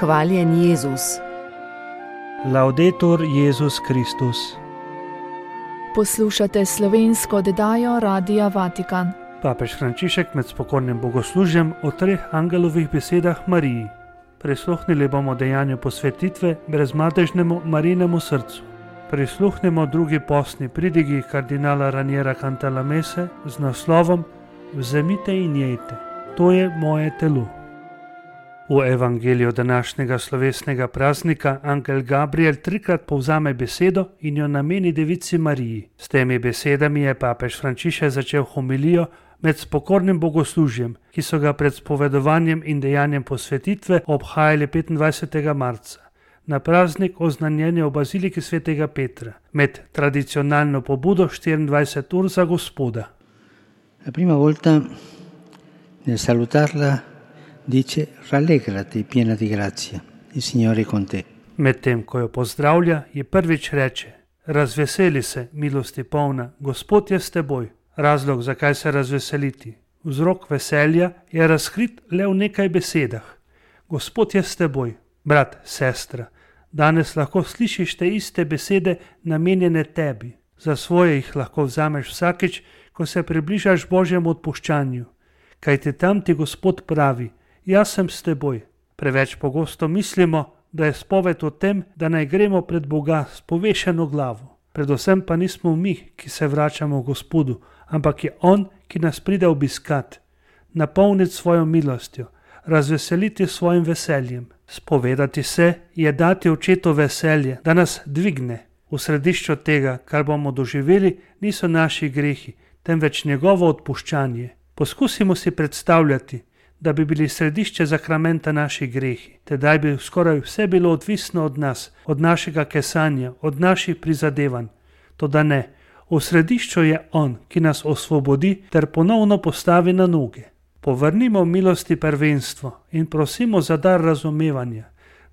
Hvaljen Jezus. Laudetur Jezus Kristus. Poslušate slovensko oddajo Radia Vatikan. Papež Frančišek med spokojnim bogoslužjem o 3 angelovih besedah Mariji. Prisluhnili bomo dejanju posvetitve brezmadežnemu Marijinemu srcu. Prisluhnimo drugi postni pridigi kardinala Raniera Cantalamesse z naslovom Vzemite in jejte, to je moje telo. V evangeliju današnjega slovesnega praznika angel Gabriel 3-krat povzame besedo in jo nameni devici Mariji. S temi besedami je papež Frančišek začel homilijo med spokornim bogoslužjem, ki so ga pred spovedovanjem in dejanjem posvetitve obhajali 25. marca, na praznik oznanjenja v baziliki svetega Petra, med tradicionalno pobudo 24 ur za Gospoda. La prima volta nel salutarla dice rallegrati piena di grazia, il Signore è con te. Medtem ko jo pozdravlja, je prvič reče: razveseli se, milosti polna, Gospod je s teboj. Razlog, zakaj se razveseliti. Vzrok veselja je razkrit le v nekaj besedah. Gospod je s teboj. Brat, sestra, danes lahko slišiš te iste besede namenjene tebi. Za svoje jih lahko vzameš vsakič, ko se približaš Božjemu odpuščanju. Kajti tam ti Gospod pravi: jaz sem s teboj. Preveč pogosto mislimo, da je spoved o tem, da naj gremo pred Boga s povešeno glavo. Predvsem pa nismo mi, ki se vračamo k Gospodu, ampak je On, ki nas pride obiskat, napolniti svojo milostjo, razveseliti svojim veseljem. Spovedati se je dati očetu veselje, da nas dvigne. V središču tega, kar bomo doživeli, niso naši grehi, temveč njegovo odpuščanje. Poskusimo si predstavljati, da bi bili središče zakramenta naši grehi. Tedaj bi skoraj vse bilo odvisno od nas, od našega kesanja, od naših prizadevanj. Toda ne, v središču je On, ki nas osvobodi ter ponovno postavi na noge. Povrnimo milosti prvenstvo in prosimo za dar razumevanja,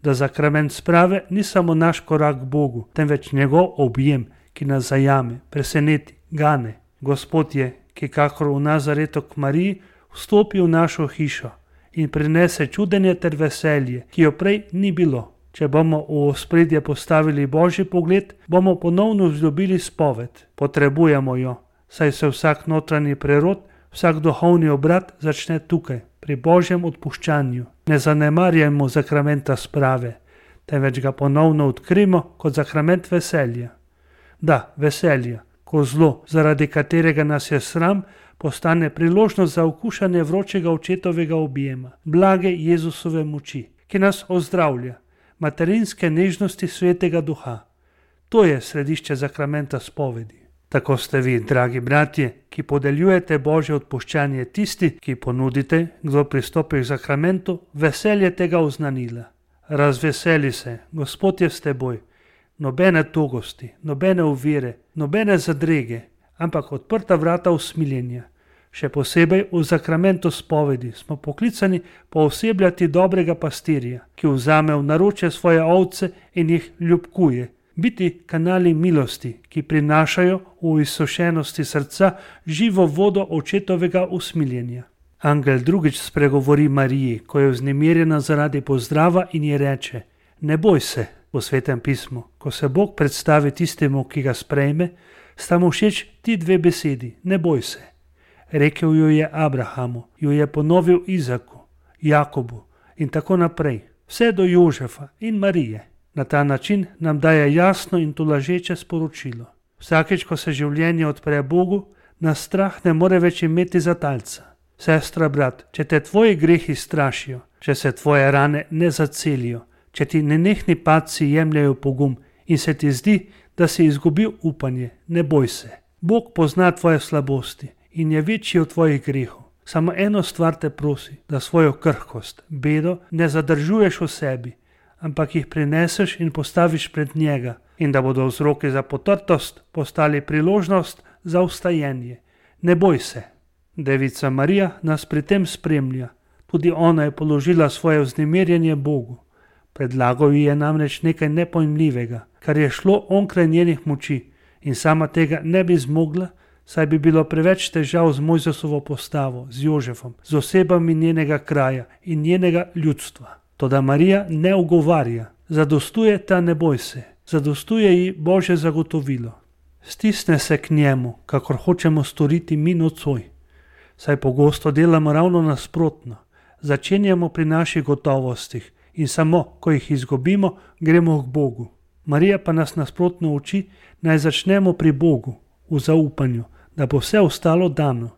da zakrament sprave ni samo naš korak k Bogu, temveč njegov objem, ki nas zajame, preseneti, gane. Gospod je, ki kakor v Nazaretu k Mariji, vstopi v našo hišo in prinese čudenje ter veselje, ki jo prej ni bilo. Če bomo v ospredje postavili Božji pogled, bomo ponovno vzljubili spoved. Potrebujemo jo, saj se vsak notranji prerod, vsak duhovni obrat začne tukaj, pri Božjem odpuščanju. Ne zanemarjajmo zakramenta sprave, temveč ga ponovno odkrimo kot zakrament veselja. Da, veselja, ko zlo, zaradi katerega nas je sram, postane priložnost za okušanje vročega očetovega objema, blage Jezusove moči, ki nas ozdravlja, materinske nežnosti svetega duha. To je središče zakramenta spovedi. Tako ste vi, dragi bratje, ki podeljujete Božje odpuščanje, tisti, ki ponudite, kdo pristopi k zakramentu, veselje tega oznanila. Razveseli se, Gospod je s teboj. Nobene togosti, nobene ovire, nobene zadrege, ampak odprta vrata usmiljenja. Še posebej v zakramentu spovedi smo poklicani poosebljati dobrega pastirja, ki vzame v naročje svoje ovce in jih ljubkuje, biti kanali milosti, ki prinašajo v izsušenosti srca živo vodo očetovega usmiljenja. Angel drugič spregovori Mariji, ko je vznemirjena zaradi pozdrava in ji reče: ne boj se. V Svetem pismu, ko se Bog predstavi tistemu, ki ga sprejme, sta mu všeč ti 2 besedi: ne boj se. Rekel jo je Abrahamu, jo je ponovil Izaku, Jakobu in tako naprej, vse do Jožefa in Marije. Na ta način nam daje jasno in tolažeče sporočilo. Vsakeč, ko se življenje odpre Bogu, nas strah ne more več imeti za talca. Sestra, brat, če te tvoji grehi strašijo, če se tvoje rane ne zacelijo, če ti nenehni padci jemljajo pogum in se ti zdi, da si izgubil upanje, ne boj se. Bog pozna tvoje slabosti in je večji od tvojih grehov. Samo eno stvar te prosi, da svojo krhkost, bedo ne zadržuješ v sebi, ampak jih prineseš in postaviš pred njega, in da bodo vzroki za potrtost postali priložnost za vstajenje. Ne boj se. Devica Marija nas pri tem spremlja. Tudi ona je položila svoje vznemirjenje Bogu. Predlagal ji je namreč nekaj nepojmljivega, kar je šlo onkraj njenih moči, in sama tega ne bi zmogla, saj bi bilo preveč težav z Mojzesovo postavo, z Jožefom, z osebami njenega kraja in njenega ljudstva. Toda Marija ne ugovarja, zadostuje ta ne boj se, zadostuje ji Božje zagotovilo. Stisne se k njemu, kakor hočemo storiti mi nocoj. Saj pogosto delamo ravno nasprotno. Začenjamo pri naših gotovostih in samo, ko jih izgubimo, gremo k Bogu. Marija pa nas nasprotno uči, naj začnemo pri Bogu, v zaupanju, da bo vse ostalo dano.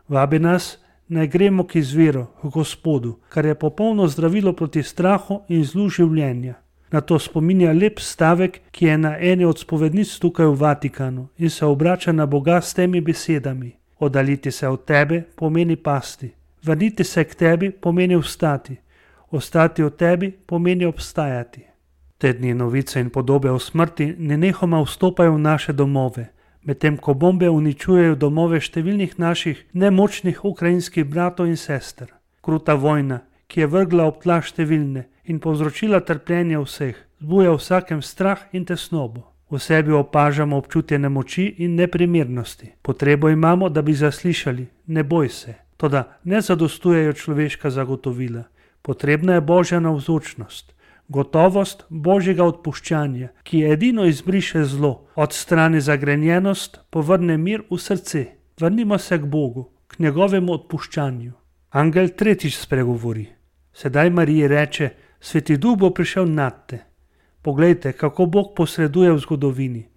Vabi nas, naj gremo k izviru, k Gospodu, kar je popolno zdravilo proti strahu in zlu življenja. Na to spominja lep stavek, ki je na eni od spovednic tukaj v Vatikanu in se obrača na Boga s temi besedami. Oddaljiti se od tebe pomeni pasti, vrniti se k tebi pomeni vstati, ostati od tebi pomeni obstajati. Te dni novice in podobe o smrti nenehoma vstopajo v naše domove, medtem ko bombe uničujejo domove številnih naših nemočnih ukrajinskih bratov in sester. Kruta vojna, ki je vrgla ob tla številne in povzročila trpljenje vseh, zbuja vsakem strah in tesnobo. V sebi opažamo občutje nemoči in neprimernosti. Potrebo imamo, da bi zaslišali, ne boj se. Toda ne zadostujejo človeška zagotovila. Potrebna je Božja navzočnost, gotovost Božjega odpuščanja, ki edino izbriše zlo, odstrani zagrenjenost, povrne mir v srce. Vrnimo se k Bogu, k njegovemu odpuščanju. Angel tretjič spregovori. Sedaj Mariji reče, Sveti Duh bo prišel nad te. Poglejte, kako Bog posreduje v zgodovini.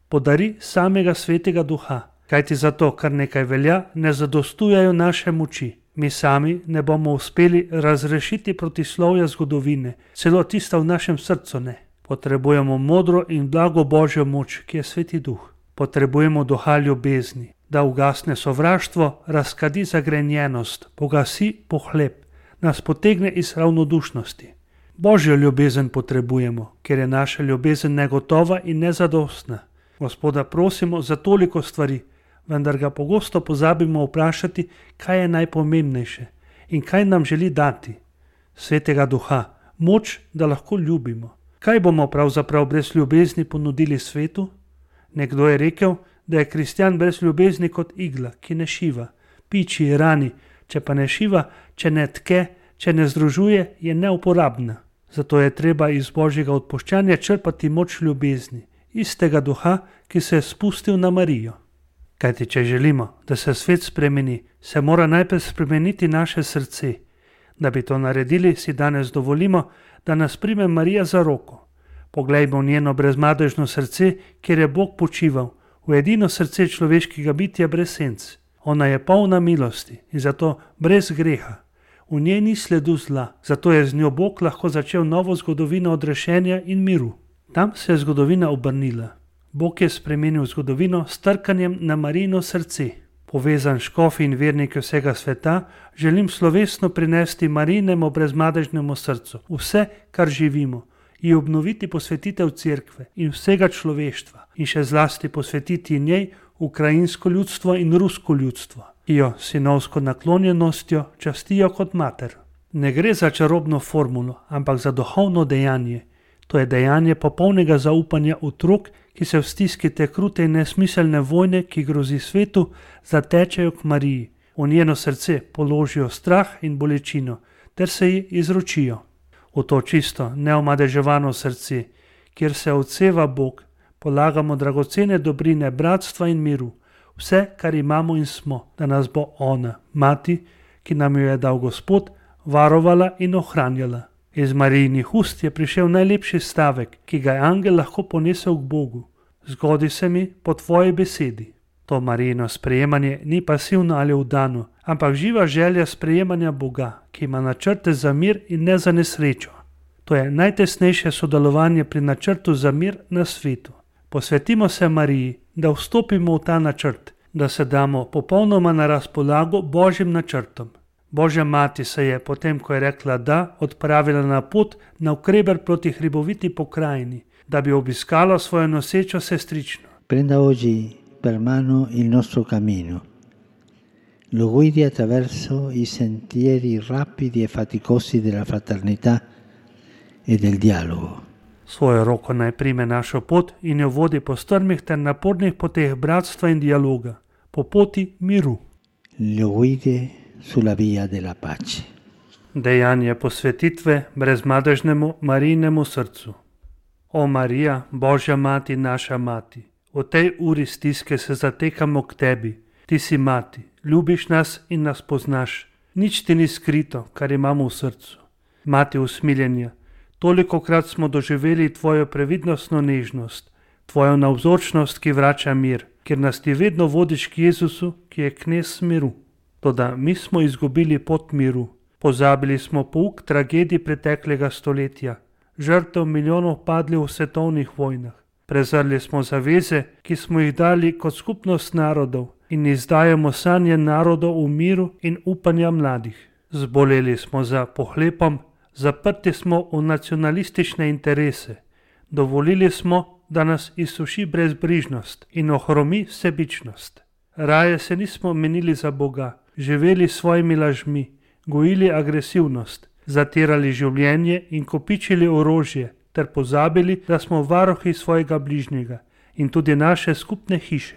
Podari samega Svetega Duha, kajti zato, kar nekaj velja, ne zadostujejo naše moči. Mi sami ne bomo uspeli razrešiti protislovja zgodovine, celo tista v našem srcu ne. Potrebujemo modro in blago Božjo moč, ki je Sveti Duh. Potrebujemo duha ljubezni, da ugasne sovraštvo, razkadi zagrenjenost, pogasi pohlep, nas potegne iz ravnodušnosti. Božjo ljubezen potrebujemo, ker je naša ljubezen negotova in nezadostna. Gospoda prosimo za toliko stvari, vendar ga pogosto pozabimo vprašati, kaj je najpomembnejše in kaj nam želi dati. Svetega Duha, moč, da lahko ljubimo. Kaj bomo pravzaprav brez ljubezni ponudili svetu? Nekdo je rekel, da je kristjan brez ljubezni kot igla, ki ne šiva, piči, rani, če pa ne šiva, če ne tke, če ne združuje, je neuporabna. Zato je treba iz Božjega odpuščanja črpati moč ljubezni, istega duha, ki se je spustil na Marijo. Kajti, če želimo, da se svet spremeni, se mora najprej spremeniti naše srce. Da bi to naredili, si danes dovolimo, da nas prime Marija za roko. Poglejmo njeno brezmadežno srce, kjer je Bog počival, v edino srce človeškega bitja brez senc. Ona je polna milosti in zato brez greha. V njej ni sledu zla, zato je z njo Bog lahko začel novo zgodovino odrešenja in miru. Tam se je zgodovina obrnila. Bog je spremenil zgodovino s trkanjem na Marijino srce. Povezan škofi in verniki vsega sveta, želim slovesno prinesti Marijinemu brezmadežnemu srcu vse, kar živimo, ji obnoviti posvetitev cerkve in vsega človeštva in še zlasti posvetiti njej ukrajinsko ljudstvo in rusko ljudstvo, ki jo sinovsko naklonjenostjo častijo kot mater. Ne gre za čarobno formulo, ampak za duhovno dejanje. To je dejanje popolnega zaupanja otrok, ki se v stiski te krute in nesmiselne vojne, ki grozi svetu, zatečejo k Mariji. V njeno srce položijo strah in bolečino, ter se ji izročijo. V to čisto, neomadeževano srce, kjer se odseva Bog, polagamo dragocene dobrine bratstva in miru, vse, kar imamo in smo, da nas bo ona, mati, ki nam jo je dal Gospod, varovala in ohranjala. Iz Marijinih ust je prišel najlepši stavek, ki ga je angel lahko ponesel k Bogu. Zgodi se mi po tvoji besedi. To Marijino sprejemanje ni pasivno ali vdano, ampak živa želja sprejemanja Boga, ki ima načrte za mir in ne za nesrečo. To je najtesnejše sodelovanje pri načrtu za mir na svetu. Posvetimo se Mariji, da vstopimo v ta načrt, da se damo popolnoma na razpolago Božjim načrtom. Božja mati se je, potem ko je rekla da, odpravila na pot navkreber proti hriboviti pokrajini, da bi obiskala svojo nosečo sestrično. Prenda oggi per mano il nostro cammino. Lo guidi attraverso i sentieri rapidi e faticosi della fraternità e del dialogo. Svojo roko naj prime našo pot in jo vodi po strmih ter napornih poteh bratstva in dialoga, po poti miru. Lo guidi sulla via della pace. Dejanje posvetitve brezmadežnemu Marijinemu srcu. O Marija, Božja mati, naša mati, v tej uri stiske se zatekamo k tebi. Ti si mati, ljubiš nas in nas poznaš. Nič ti ni skrito, kar imamo v srcu. Mati usmiljenja, tolikokrat smo doživeli tvojo previdnostno nežnost, tvojo navzočnost, ki vrača mir, ker nas ti vedno vodiš k Jezusu, ki je knez miru. Toda mi smo izgubili pot miru. Pozabili smo pouk tragedij preteklega stoletja, žrtev milijonov padli v svetovnih vojnah. Prezrli smo zaveze, ki smo jih dali kot skupnost narodov in izdajamo sanje narodov v miru in upanja mladih. Zboleli smo za pohlepom, zaprti smo v nacionalistične interese. Dovolili smo, da nas izsuši brezbrižnost in ohromi sebičnost. Raje se nismo menili za Boga, živeli s svojimi lažmi, gojili agresivnost, zatirali življenje in kopičili orožje, ter pozabili, da smo varuhi svojega bližnjega in tudi naše skupne hiše.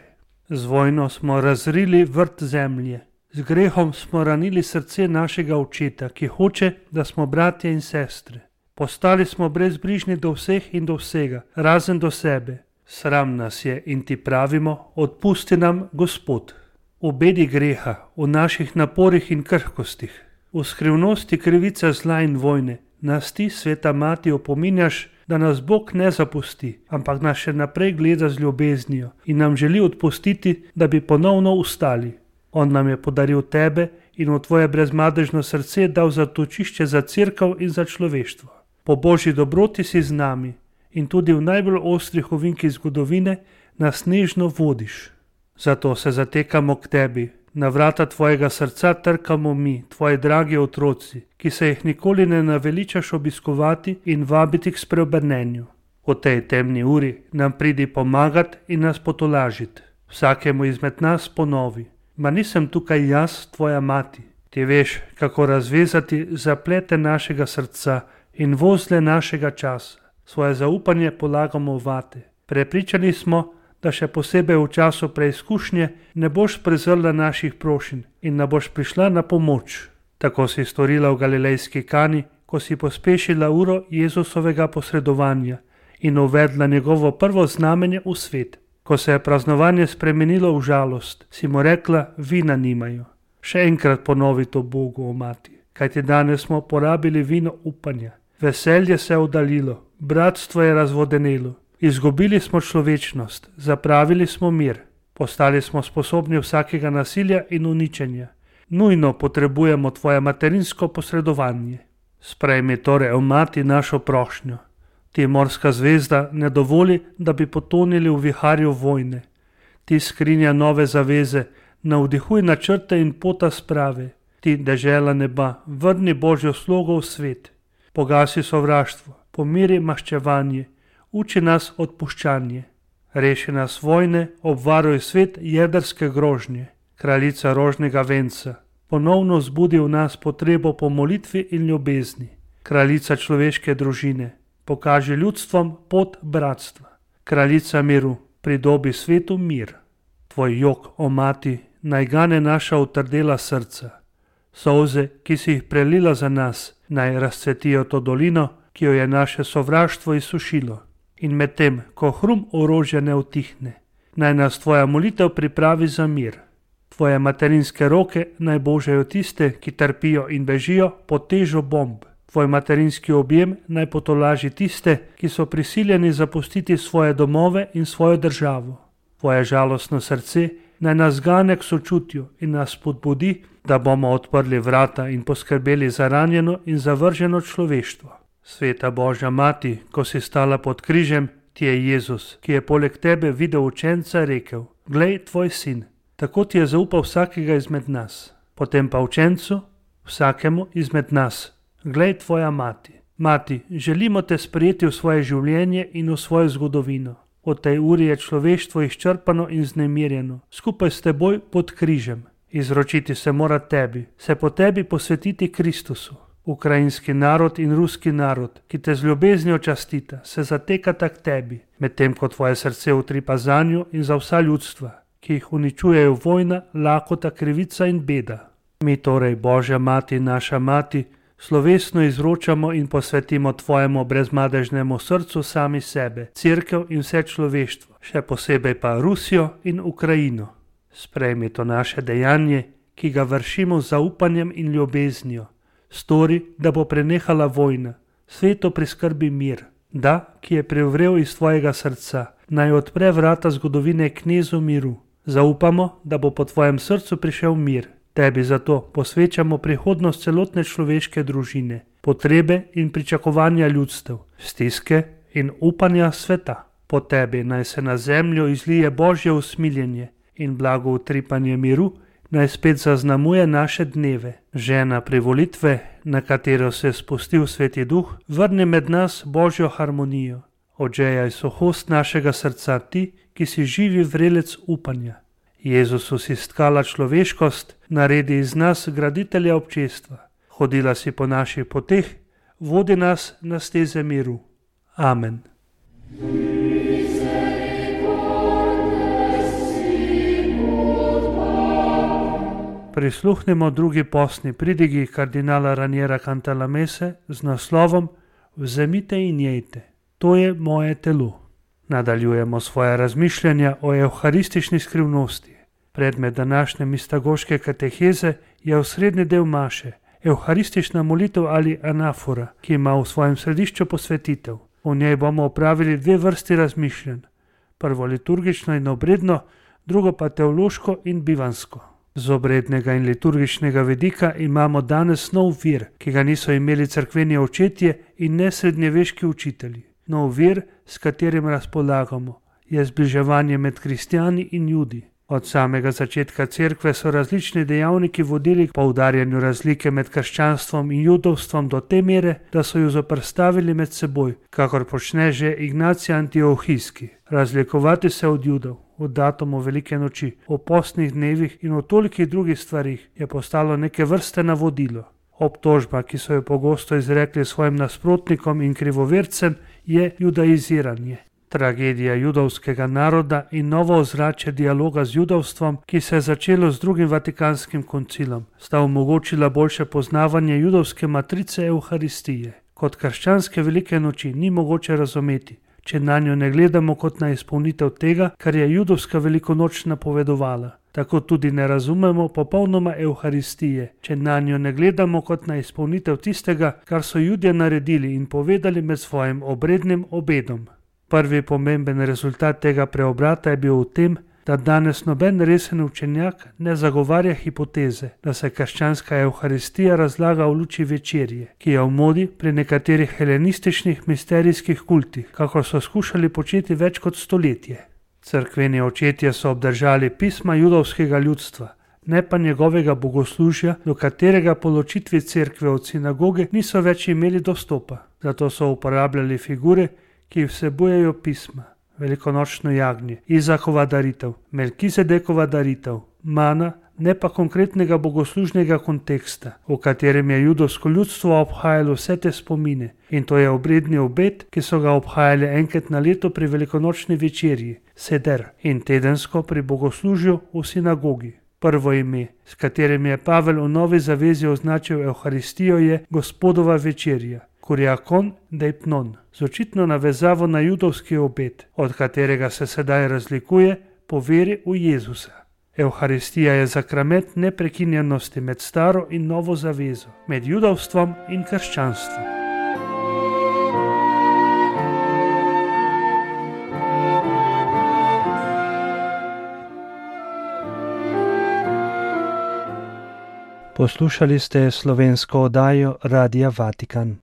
Z vojno smo razrili vrt zemlje, z grehom smo ranili srce našega očeta, ki hoče, da smo bratje in sestre. Postali smo brezbrižni do vseh in do vsega, razen do sebe. Sram nas je in ti pravimo, odpusti nam, Gospod. V bedi greha, v naših naporih in krhkostih, v skrivnosti krivice zla in vojne, nas ti, sveta mati, opominjaš, da nas Bog ne zapusti, ampak nas še naprej gleda z ljubeznijo in nam želi odpustiti, da bi ponovno ustali. On nam je podaril tebe in v tvoje brezmadežno srce dal zatočišče za cerkev in za človeštvo. Po Božji dobroti si z nami in tudi v najbolj ostrih ovinkih zgodovine nas nežno vodiš. Zato se zatekamo k tebi, na vrata tvojega srca trkamo mi, tvoji dragi otroci, ki se jih nikoli ne naveličaš obiskovati in vabiti k spreobrnenju. V tej temni uri nam pridi pomagati in nas potolažiti. Vsakemu izmed nas ponovi: ma nisem tukaj jaz, tvoja mati. Ti veš, kako razvezati zaplete našega srca in vozle našega časa. Svoje zaupanje polagamo vate. Prepričani smo, da še posebej v času preizkušnje ne boš prezrla naših prošenj in ne boš prišla na pomoč. Tako si storila v galilejski Kani, ko si pospešila uro Jezusovega posredovanja in uvedla njegovo prvo znamenje v svet. Ko se je praznovanje spremenilo v žalost, si mu rekla: vina nimajo. Še enkrat ponovi to Bogu, o mati, kajti danes smo porabili vino upanja. Veselje se je oddaljilo, bratstvo je razvodenelo. Izgubili smo človečnost, zapravili smo mir, postali smo sposobni vsakega nasilja in uničenja. Nujno potrebujemo tvoje materinsko posredovanje. Sprejmi torej, o mati, našo prošnjo. Ti, morska zvezda, ne dovoli, da bi potonili v viharju vojne. Ti, skrinja nove zaveze, navdihuj načrte in pota sprave. Ti, dežela neba, vrni Božjo slogo v svet. Pogasi sovraštvo, pomiri maščevanje, uči nas odpuščanje. Reši nas vojne, obvaruj svet jedrske grožnje. Kraljica rožnega venca, ponovno zbudi v nas potrebo po molitvi in ljubezni. Kraljica človeške družine, pokaži ljudstvom pot bratstva. Kraljica miru, pridobi svetu mir. Tvoj jok, o mati, naj gane naša utrdela srca. Solze, ki si jih prelila za nas, naj razcvetijo to dolino, ki jo je naše sovraštvo izsušilo. In medtem, ko hrum orožja ne utihne, naj nas tvoja molitev pripravi za mir. Tvoje materinske roke naj božajo tiste, ki trpijo in bežijo pod težo bomb. Tvoj materinski objem naj potolaži tiste, ki so prisiljeni zapustiti svoje domove in svojo državo. Tvoje žalostno srce naj nas gane k sočutju in nas spodbudi, da bomo odprli vrata in poskrbeli za ranjeno in zavrženo človeštvo. Sveta Božja mati, ko si stala pod križem, ti je Jezus, ki je poleg tebe videl učenca, rekel: glej, tvoj sin. Tako ti je zaupal vsakega izmed nas. Potem pa učencu, vsakemu izmed nas: glej, tvoja mati. Mati, želimo te sprejeti v svoje življenje in v svojo zgodovino. V tej uri je človeštvo izčrpano in znemirjeno, skupaj s teboj pod križem. Izročiti se mora tebi, se po tebi posvetiti Kristusu. Ukrajinski narod in ruski narod, ki te z ljubeznijo častita, se zatekata k tebi, medtem ko tvoje srce utripa zanjo in za vsa ljudstva, ki jih uničujejo vojna, lakota, krivica in beda. Mi torej, Božja mati, naša mati, Slovesno izročamo in posvetimo tvojemu brezmadežnemu srcu sami sebe, Cerkev in vse človeštvo, še posebej pa Rusijo in Ukrajino. Sprejmi to naše dejanje, ki ga vršimo z zaupanjem in ljubeznijo. Stori, da bo prenehala vojna, svetu priskrbi mir, da, ki je privrel iz tvojega srca, naj odpre vrata zgodovine knezu miru. Zaupamo, da bo po tvojem srcu prišel mir. Tebi zato posvečamo prihodnost celotne človeške družine, potrebe in pričakovanja ljudstev, stiske in upanja sveta. Po tebi naj se na zemljo izlije Božje usmiljenje in blago utripanje miru, naj spet zaznamuje naše dneve. Žena privolitve, na katero se je spustil Sveti Duh, vrne med nas Božjo harmonijo. Odžejaj suhost našega srca ti, ki si živi vrelec upanja. Jezusu si stkala človeškost, naredi iz nas graditelja občestva. Hodila si po naših poteh, vodi nas na steze miru. Amen. Prisluhnimo drugi postni pridigi kardinala Raniera Cantalamesse z naslovom Vzemite in jejte, to je moje telo. Nadaljujemo svoje razmišljanja o evharistični skrivnosti. Predmet današnje mistagoške kateheze je osrednji del maše, evharistična molitev ali anafora, ki ima v svojem središču posvetitev. V njej bomo opravili dve vrsti razmišljanj. Prvo liturgično in obredno, drugo pa teološko in bivansko. Z obrednega in liturgičnega vidika imamo danes nov vir, ki ga niso imeli cerkveni očetje in ne srednjeveški učitelji. Nov vir, s katerim razpolagamo, je zbliževanje med kristjani in Judi. Od samega začetka cerkve so različni dejavniki vodili k poudarjanju razlike med krščanstvom in judovstvom do te mere, da so ju zoperstavili med seboj, kakor počne že Ignacij Antiohijski. Razlikovati se od Judov, v datumu velike noči, o postnih dnevih in o tolikih drugih stvarih je postalo neke vrste navodilo. Obtožba, ki so jo pogosto izrekli svojim nasprotnikom in krivovercem, je judaiziranje. Tragedija judovskega naroda in novo ozračje dialoga z judovstvom, ki se je začelo z drugim Vatikanskim koncilom, sta omogočila boljše poznavanje judovske matrice Evharistije. Kot krščanske velike noči ni mogoče razumeti, če na njo ne gledamo kot na izpolnitev tega, kar je judovska velikonoč napovedovala. Tako tudi ne razumemo popolnoma Evharistije, če na njo ne gledamo kot na izpolnitev tistega, kar so Judje naredili in povedali med svojim obrednim obedom. Prvi pomemben rezultat tega preobrata je bil v tem, da danes noben resen učenjak ne zagovarja hipoteze, da se krščanska Evharistija razlaga v luči večerje, ki je v modi pri nekaterih helenističnih misterijskih kultih, kakor so skušali početi več kot stoletje. Cerkveni očetje so obdržali pisma judovskega ljudstva, ne pa njegovega bogoslužja, do katerega po ločitvi cerkve od sinagoge niso več imeli dostopa. Zato so uporabljali figure, ki vsebujejo pisma, velikonočno jagnje, Izakova daritev, Melkizedekova daritev, mana, ne pa konkretnega bogoslužnega konteksta, v katerem je judovsko ljudstvo obhajalo vse te spomine, in to je obredni obed, ki so ga obhajali enkrat na leto pri velikonočni večerji, seder, in tedensko pri bogoslužju v sinagogi. Prvo ime, s katerim je Pavel v Novi zavezi označil Evharistijo, je Gospodova večerja, Kuriakon deipnon, z očitno navezavo na judovski obed, od katerega se sedaj razlikuje po veri v Jezusa. Evharistija je zakrament neprekinjenosti med staro in novo zavezo, med judovstvom in krščanstvom. Poslušali ste slovensko oddajo Radia Vatikan.